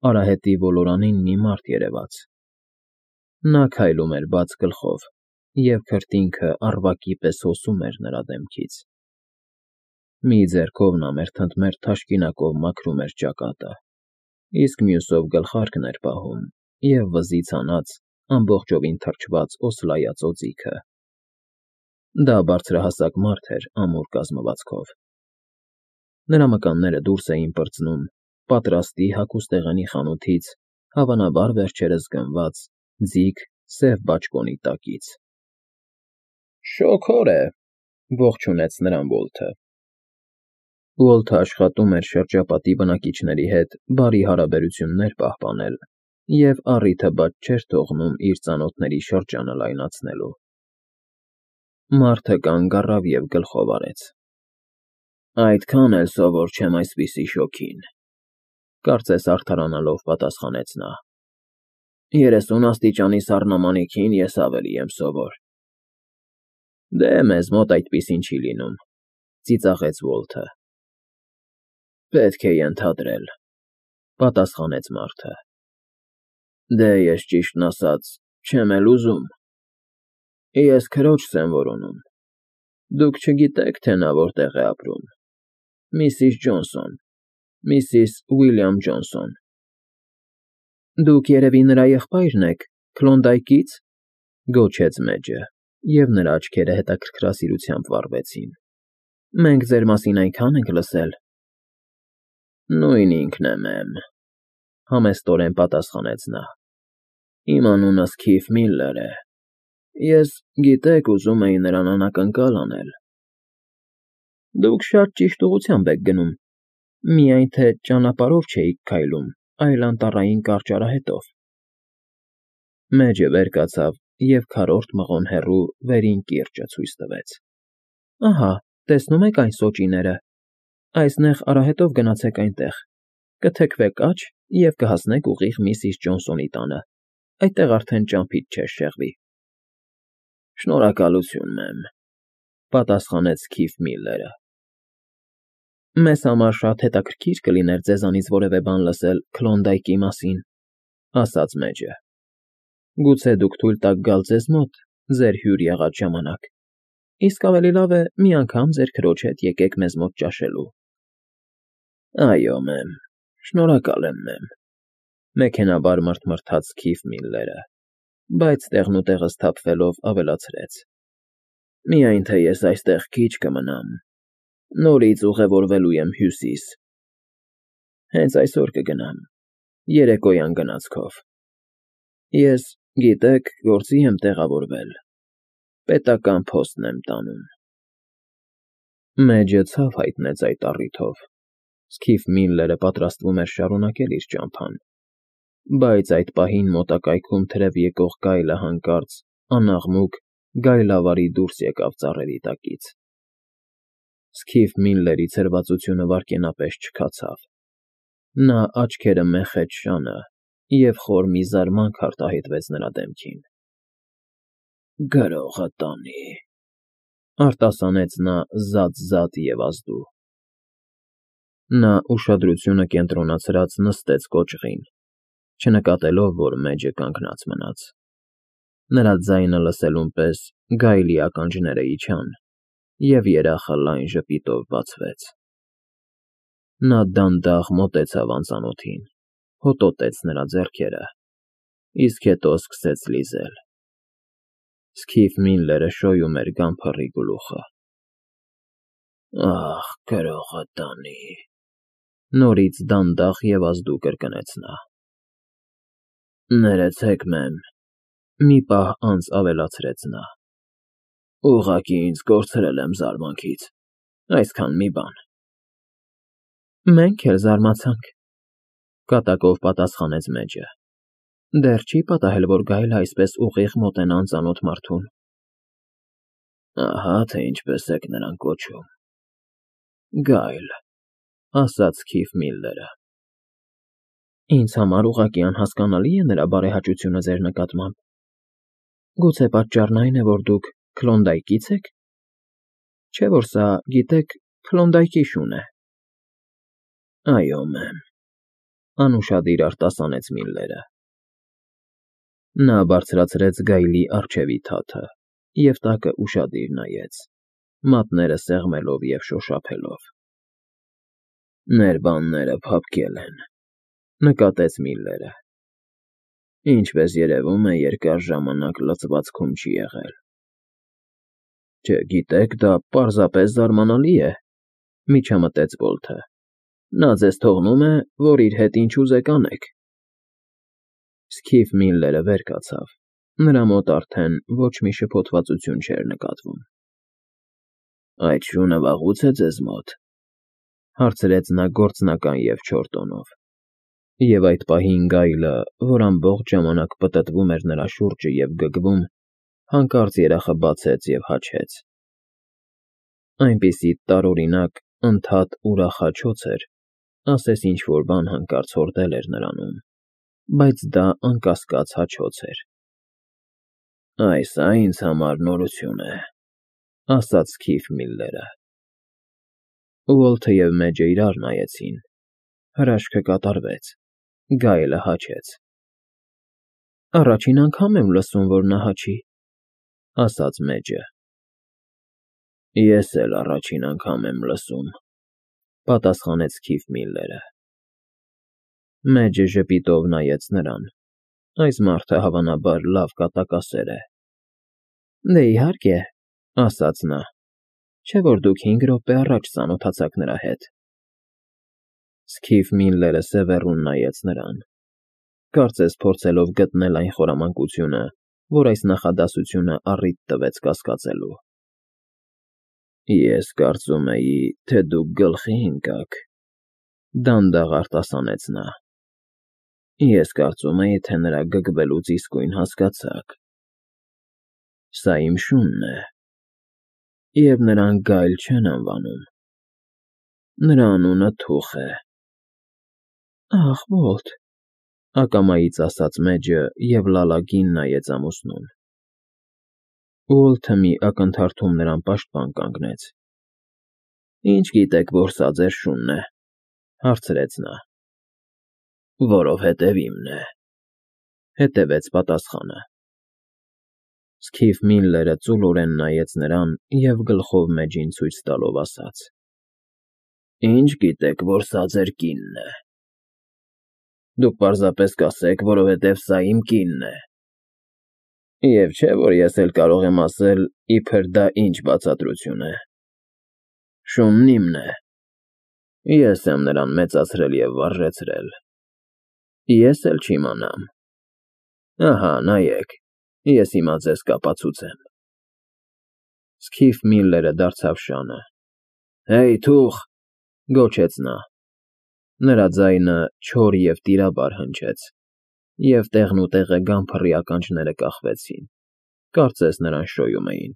Արահետի ոլորանին մի մարդ երևաց. նա քայլում էր բաց գլխով, և քրտինքը առվակի պես հոսում էր նրա դեմքից. մի ձեռքով նա մերթընդմերթ թաշկինակով մաքրում էր ճակատը, իսկ մյուսով գլխարկն էր պահում և վզից հանած ամբողջովին թրջված օսլայած օձիքը. դա բարձրահասակ մարդ էր ամուր կազմվածքով. նրա մկանները դուրս էին պրծնում պատրաստի հագուստեղենի խանութից, հավանաբար վերջերս գնված ձիգ սև բաճկոնի տակից։ Շոգոր է, ողջունեց նրան Ուոլթը։ Ուոլթը աշխատում էր շրջապատի բնակիչների հետ բարի հարաբերություններ պահպանել և առիթը բաց չէր թողնում իր ծանոթների շրջանը լայնացնելու։ Մարդը կանգ առավ և գլխով արեց։ Այդքան էլ սովոր չեմ այսպիսի շոգին, կարծես արդարանալով պատասխանեց նա։ 30 աստիճանի սառնամանիքին ես ավելի եմ սովոր։ Դե մեզ մոտ այդպիսին չի լինում, ծիծաղեց Ուոլթը։ Պետք է ենթադրել, պատասխանեց մարդը։ Դե ես ճիշտն ասած չեմ էլ ուզում։ Ես քրոջս եմ որոնում։ Դուք չգիտեք, թե նա որտեղ է ապրում։ Միսիս Ջոնսոն, Միսիս Ուիլյամ Ջոնսոն։ Դուք երևի նրա եղբայրն եք, Քլոնդայքից, գոչեց Մեջը, և նրա աչքերը հետաքրքրասիրությամբ վառվեցին։ Մենք ձեր մասին այնքան ենք լսել։ Նույն ինքն եմ, համեստորեն պատասխանեց նա։ Իմ անունս Քիֆ Միլլեր է։ Ես, գիտեք, ուզում էի նրան անակնկալ անել։ Դուք շատ ճիշտ ուղղությամբ եք գնում, միայն թե ճանապարհով չէիք քայլում, այլ անտառային կարճ արահետով։ Մեջը վեր կացավ և քառորդ մղոն հեռու վերին կիրճը ցույց տվեց։ Ահա, տեսնում եք այն սոճիները։ Այս նեղ արահետով գնացեք այնտեղ, կթեքվեք աջ և կհասնեք ուղիղ Միսիս Ջոնսոնի տանը, այդտեղ արդեն ճամփից չես շեղվի։ Շնորհակալություն, մեմ, պատասխանեց Քիֆ Միլլերը։ Մեզ համար շատ հետաքրքիր կլիներ ձեզանից որևէ բան լսել Քլոնդայքի մասին, ասաց Մեջը։ Գուցե դուք թույլ տաք գալ ձեզ մոտ ձեր հյուր եղած ժամանակ, իսկ ավելի լավ է մի անգամ ձեր քրոջ հետ եկեք մեզ մոտ ճաշելու։ Այո, մեմ, շնորհակալ եմ, մեմ, մեքենայաբար մռթմռթաց Քիֆ Միլլերը, բայց տեղնուտեղը սթափվելով ավելացրեց. Միայն թե ես այստեղ քիչ կմնամ, նորից ուղևորվելու եմ Հյուսիս։ Հենց այսօր կգնամ, երեկոյան գնացքով։ Ես, գիտեք, գործի եմ տեղավորվել, պետական փոստն եմ տանում։ Մեջը ցավ հայտնեց այդ առիթով։ Քիֆ Միլլերը պատրաստվում էր շարունակել իր ճամփան, բայց այդ պահին մոտակայքում թրև եկող գայլը հանկարծ անաղմուկ գայլավարի դուրս եկավ ծառերի տակից։ Քիֆ Միլլերի ցրվածությունը վայրկենապես չքացավ։ Նա աչքերը մեխեց շանը, և խոր մի զարմանք արտահայտվեց նրա դեմքին։ Գրողը տանի, արտասանեց նա զատ և ազդու։ Նա ուշադրությունը կենտրոնացրած նստեց կոճղին, չնկատելով, որ Մեջը կանգնած մնաց։ Նրա ձայնը լսելուն պես գայլի ականջները իջան, և երախը լայն ժպիտով բացվեց։ Նա դանդաղ մոտեցավ անծանոթին, հոտոտեց նրա ձեռքերը, իսկ հետո սկսեց լիզել։ Քիֆ Միլլերը շոյում էր գանձրի գլուխը։ Ախ, գրողը տանի, նորից դանդաղ և ազդու կրկնեց նա։ Ներեցեք, մեմ, մի պահ անց ավելացրեց նա։ Ուղղակի ինձ կորցրել եմ զարմանքից, այսքան մի բան։ Մենք էլ զարմացանք, կատակով պատասխանեց Մեջը։ Դեռ չի պատահել, որ գայլը այսպես ուղիղ մոտենա անծանոթ մարդուն։ Ահա թե ինչպես եք նրան կոչում։ Գայլ, ասաց Քիֆ Միլլերը։ Ինձ համար ուղղակի անհասկանալի է նրա բարեհաճությունը ձեր նկատմամբ։ Գուցե պատճառն այն է, որ դուք Քլոնդայքից եք։ Չէ՞ որ սա, գիտեք, Քլոնդայքի շուն է։ Այո, մեմ, Անուշադիր արտասանեց Միլլերը։ Նա բարձրացրեց գայլի առջևի թաթը և տակը ուշադիր նայեց, մատները սեղմելով և շոշափելով։ Ներբանները փափկել են, նկատեց Միլլերը։ Ինչպես երևում է, երկար ժամանակ լցվածքում չի եղել։ Չգիտեք, դա պարզապես զարմանալի է, միջամտեց Բոլթը։ Նա ձեզ թողնում է, որ իր հետ ինչ ուզեք անեք։ Սքիֆ Միլլերը վեր կացավ, նրա մոտ արդեն ոչ մի շփոթվածություն չէր նկատվում։ Այդ շունը վաղուց է ձեզ մոտ, հարցրեց նա գործնական և չոր տոնով, և այդ պահին գայլը, որ ամբողջ ժամանակ պտտվում էր նրա շուրջը և գգվում, հանկարծ երախը բացեց և հաչեց։ Այնպիսի տարօրինակ, ընդհատ ուրախ հաչոց էր, ասես ինչ-որ բան հանկարծ հորդել էր նրանում, բայց դա անկասկած հաչոց էր։ Սա ինձ համար նորություն է, ասաց Սքիֆ Միլլերը։ Ուոլթը և Մեջը իրար նայեցին, հրաշքը կատարվեց, գայլը հաչեց։ Առաջին անգամ եմ լսում, որ նա հաչի, ասաց Մեջը։ Ես էլ առաջին անգամ եմ լսում, պատասխանեց Սքիֆ Միլլերը։ Մեջը ժպիտով նայեց նրան։ Այս մարդը հավանաբար լավ կատակասեր է։ Դե իհարկե, ասաց նա, չէ՞ որ դուք 5 րոպե առաջ ծանոթացաք նրա հետ։ Սքիֆ Միլլերը սևեռուն նայեց նրան, կարծես փորձելով գտնել այն խորամանկությունը, որ այս նախադասությունը առիթ տվեց կասկածելու։ Ես կարծում էի, թե դուք գլխի ընկաք, դանդաղ արտասանեց նա։ Ես կարծում էի, թե նրա գգվելուց իսկույն հասկացաք։ Սա իմ շունն է, և նրան գայլ չեն անվանում։ Նրա անունը Թուխ է։ Ախ, Բոլթ, ակամայից ասաց Մեջը և լալագին նայեց ամուսնուն։ Ուոլթը մի ակնթարթում նրան պաշտպան կանգնեց։ Ինչ գիտեք, որ սա ձեր շունն է, հարցրեց նա։ Որովհետև իմն է, հետևեց պատասխանը։ Սքիֆ Միլլերը ծուլորեն նայեց նրան և գլխով Մեջին ցույց տալով ասաց. Ինչ գիտեք, որ սա ձեր կինն է։ Դուք պարզապես կասեք, որովհետև սա իմ կինն է։ Եվ չէ, որ ես էլ կարող եմ ասել, իբր դա ինչ բացատրություն է։ Շունն իմն է։ Ես եմ նրան մեծացրել և վարժեցրել։ Ես էլ չիմանամ։ Ահա, նայեք, ես հիմա ձեզ կապացուցեմ։ Սքիֆ Միլլերը դարձավ շանը։ Հեյ, Թուխ, գոչեց նա։ Նրա ձայնը չոր և տիրաբար հնչեց, և տեղնուտեղը գամփռի ականջները կախվեցին, կարծես նրան շոյում էին։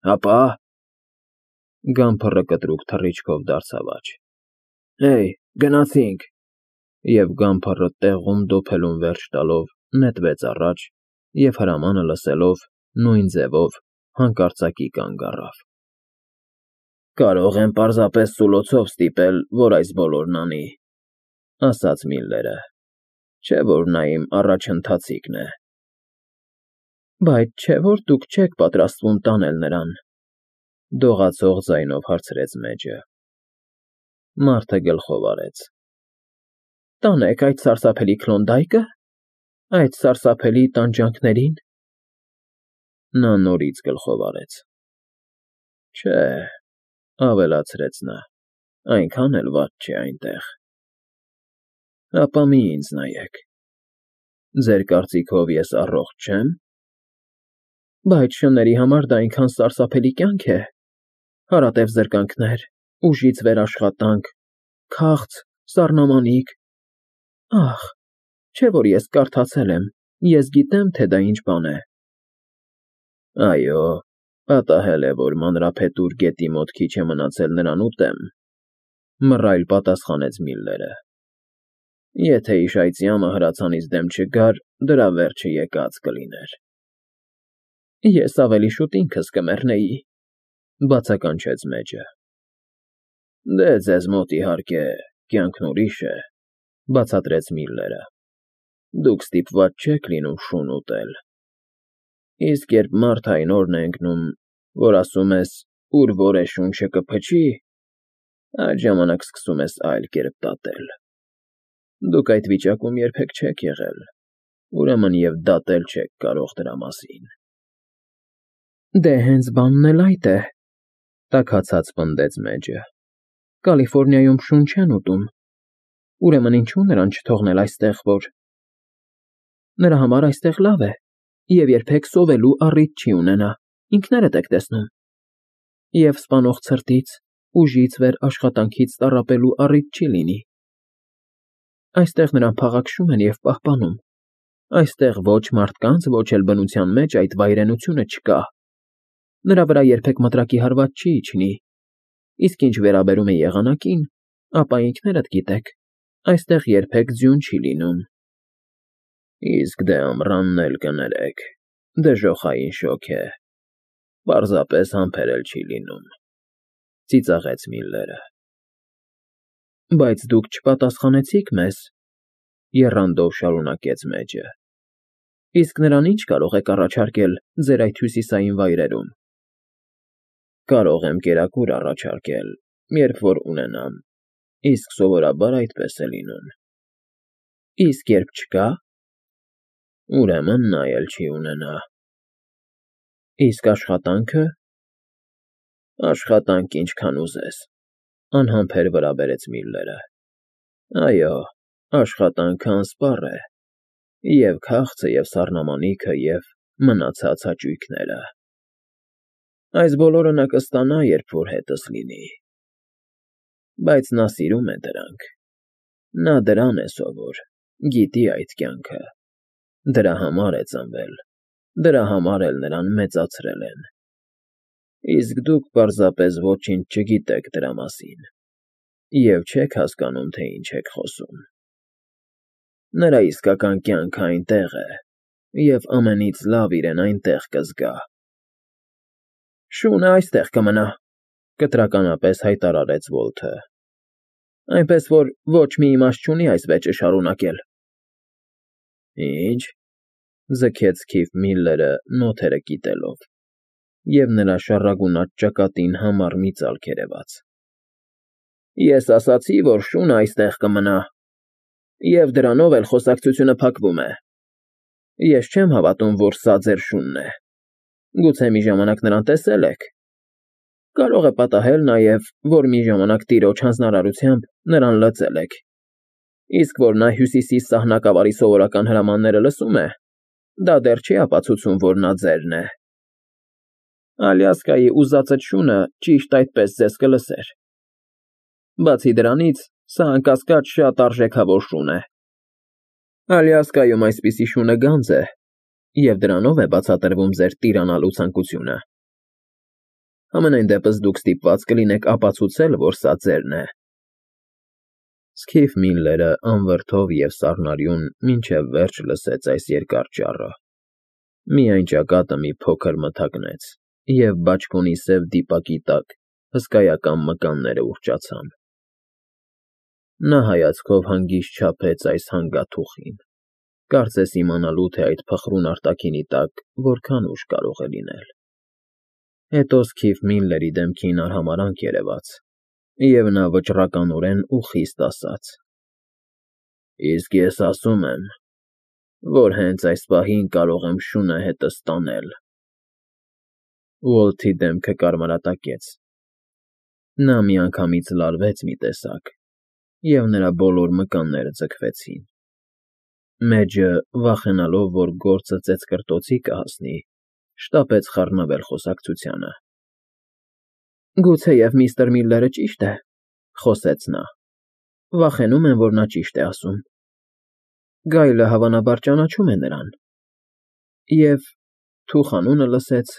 Հապա։ Գամփռը կտրուկ թռիչքով դարձավ աջ։ Հեյ, գնացինք։ Եվ գամփռը տեղում դոփելուն վերջ տալով նետվեց առաջ և հրամանը լսելով, նույն ձևով հանկարծակի կանգ առավ։ Կարող եմ պարզապես սուլոցով ստիպել, որ այս բոլորն անի, ասաց Միլլերը, չէ՞ որ նա իմ առաջընթացիկն է։ Բայց չէ՞ որ դուք չեք պատրաստվում տանել նրան, դողացող ձայնով հարցրեց Մեջը։ Մարդը գլխով արեց։ Տանեք այդ սարսափելի Քլոնդայքը, այդ սարսափելի տանջանքներին։ Նա նորից գլխով արեց։ Չէ, ավելացրեց նա, այնքան էլ վատ չէ այնտեղ։ Ապա մի ինձ նայեք։ Ձեր կարծիքով ես առողջ չեմ։ Բայց շների համար դա այնքան սարսափելի կյանք է։ Հարատև զրկանքներ, ուժից վեր աշխատանք, քաղց, սառնամանիք։ Ախ, չէ՞ որ ես կարդացել եմ, ես գիտեմ, թե դա ինչ բան է։ Այո, պատահել է, որ Մանրափետուր գետի մոտ քիչ է մնացել նրան ուտեմ, մռայլ պատասխանեց Միլլերը։ Եթե իշայծյամը հրացանից դեմ չգար, դրա վերջը եկած կլիներ։ Ես ավելի շուտ ինքս կմեռնեի, բացականչեց Մեջը։ Դե, ձեզ մոտ իհարկե կյանքն ուրիշ է, Բացատրեց Միլլերը։ Դուք ստիպված չեք լինում շուն ուտել։ Իսկ երբ մարդային օրն է ընկնում, որ ասում ես, ուր որ է շունչը կփչի, այդ ժամանակ սկսում ես այլ կերպ դատել։ Դուք այդ վիճակում երբեք չեք եղել, ուրեմն և դատել չեք կարող դրա մասին։ Դե հենց բանն էլ այդ է, տաքացած պնդեց Մեջը։ Կալիֆոռնիայում շուն չեն ուտում, ուրեմն ինչու նրան չթողնել այստեղ, որ… Նրա համար այստեղ լավ է, և երբեք սովելու առիթ չի ունենա, ինքներդ եք տեսնում։ Եվ սպանող ցրտից, ուժից վեր աշխատանքից տառապելու առիթ չի լինի։ Այստեղ նրան փաղաքշում են և պահպանում։ Այստեղ ոչ մարդկանց, ոչ էլ բնության մեջ այդ վայրենությունը չկա։ Նրա վրա երբեք մտրակի հարված չի իջնի։ Իսկ ինչ վերաբերում է եղանակին, ապա ինքներդ գիտեք, այստեղ երբեք ձյուն չի լինում։ Իսկ դե ամռանն էլ կներեք, դժոխային շոգ է, պարզապես համբերել չի լինում, ծիծաղեց Միլլերը։ Բայց դուք չպատասխանեցիք մեզ, եռանդով շարունակեց Մեջը։ Իսկ նրան ինչ կարող եք առաջարկել ձեր այդ հյուսիսային վայրերում։ Կարող եմ կերակուր առաջարկել, երբ որ ունենամ, իսկ սովորաբար այդպես է լինում։ Իսկ երբ չկա, ուրեմն նա էլ չի ունենա։ Իսկ աշխատանքը… Աշխատանք ինչքան ուզես, անհամբեր վրա բերեց Միլլերը։ Այո, աշխատանքը անսպառ է, և քաղցը, և սառնամանիքը, և մնացած հաճույքները։ Այս բոլորը նա կստանա, երբ որ հետս լինի։ Բայց նա սիրում է դրանք։ Նա դրան է սովոր, գիտի այդ կյանքը։ Դրա համար է ծնվել, դրա համար էլ նրան մեծացրել են։ Իսկ դուք պարզապես ոչինչ չգիտեք դրա մասին և չեք հասկանում, թե ինչ եք խոսում։ Նրա իսկական կյանքը այնտեղ է, և ամենից լավ իրեն այնտեղ կզգա։ Շունը այստեղ կմնա, կտրականապես հայտարարեց Վոլթը։ Այնպես որ ոչ մի իմաստ չունի այս վեճը շարունակել։ Ինչ… Ձգեց Քիֆ Միլլերը նոթերը կիտելով, և նրա շառագունած ճակատին համառ մի ծալք երևաց։ Ես ասացի, որ շունը այստեղ կմնա, և դրանով էլ խոսակցությունը փակվում է։ Ես չեմ հավատում, որ սա ձեր շունն է։ Գուցե մի ժամանակ նրան տեսել եք։ Կարող է պատահել նաև, որ մի ժամանակ տիրոջ հանձնարարությամբ նրան լծել եք։ Իսկ որ նա Հյուսիսի սահնակավարի սովորական հրամանները լսում է, դա դեռ չի ապացուցում, որ նա ձերն է։ Ալյասկայի ուզածդ շունը ճիշտ այդպես ձեզ կլսեր։ Բացի դրանից, սա անկասկած շատ արժեքավոր շուն է։ Ալյասկայում այսպիսի շունը գանձ է, և դրանով է բացատրվում ձեր տիրանալու ցանկությունը։ Համենայն դեպս դուք ստիպված կլինեք ապացուցել, որ սա ձերն է։ Սքիֆ Միլլերը անվրդով և սառնարյուն մինչև վերջ լսեց այս երկար ճառը։ Միայն ճակատը մի փոքր մթագնեց, և բաճկոնի սև դիպակի տակ հսկայական մկանները ուռճացան։ Նա հայացքով հանգիստ չափեց այս հանգաթուխին, կարծես իմանալու, թե այդ փխրուն արտաքինի տակ որքան ուժ կարող է լինել։ Հետո Սքիֆ Միլլերի դեմքին արհամարհանք երևաց, և նա վճռականորեն ու խիստ ասաց. Իսկ ես ասում եմ, որ հենց այս պահին կարող եմ շունը հետս տանել։ Ուոլթի դեմքը կարմրատակեց։ Նա միանգամից լարվեց մի տեսակ, և նրա բոլոր մկանները ձգվեցին։ Մեջը, վախենալով, որ գործը ծեծկռտոցի կհասնի, շտապեց խառնվել խոսակցությանը։ Գուցեև միստր Միլլերը ճիշտ է, խոսեց նա։ Վախենում եմ, որ նա ճիշտ է ասում։ Գայլը հավանաբար ճանաչում է նրան։ Եվ թուխ անունը լսեց,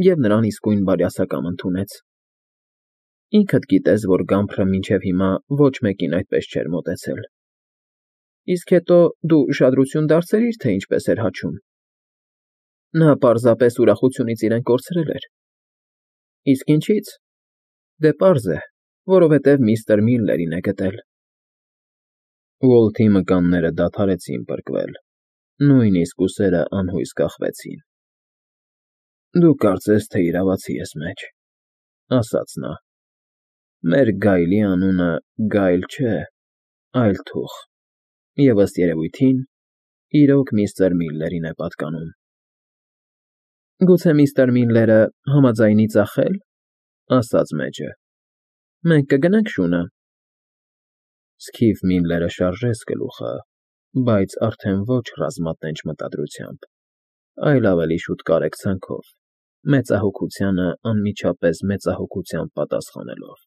և նրան իսկույն բարյասակամ ընդունեց։ Ինքդ գիտես, որ Գամփրը մինչև հիմա ոչ մեկին այդպես չէր մոտեցել։ Իսկ հետո դու ուշադրություն դարձրի՞ր, թե ինչպես էր հաչում։ Նա պարզապես ուրախությունից իրեն կորցրել էր։ Իսկ ինչի՞ց։ Դե պարզ է, որովհետև միստր Միլլերին է գտել։ Ուոլթի մկանները դադարեցին պրկվել, նույնիսկ ուսերը անհույս կախվեցին։ Դու կարծես թե իրավացի ես մեջ, ասաց նա։ Մեր Գայլի անունը Գայլ չէ, այլ Թուխ, և ըստ երևույթին, իրոք միստր Միլլերին է պատկանում։ Գուցե միստր Միլլերը համաձայնի ծախել, ասաց մեջը։ Մենք կգնանք շունը։ Սքիֆ Միլլերը շարժեց գլուխը, բայց արդեն ոչ ռազմատենչ մտադրությամբ, այլ ավելի շուտ կարեկցանքով, մեծահոգությանը անմիջապես մեծահոգությամբ պատասխանելով։